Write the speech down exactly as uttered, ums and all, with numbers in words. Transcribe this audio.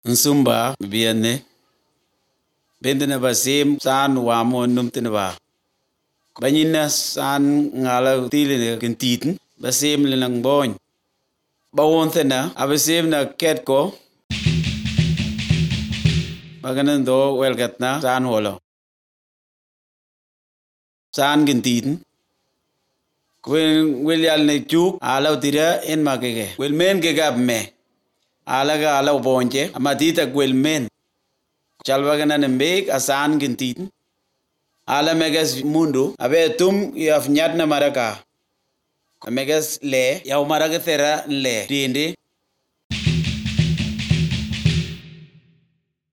Nsumba biane bende na basim san wamo numtene ba banyina san ngala tile kentin basim lenang boy bawon thena abasim na ketko baganan do welgatna san holo san kentin kwen welyal ne chuk ala tira en makege wel men ke gab me ala ga ala bonje amatita gwel men chalwagana nembek asan kentin ala megas mundo abe tum yaf nyatna maraka megas le yaw maraka thera le tinde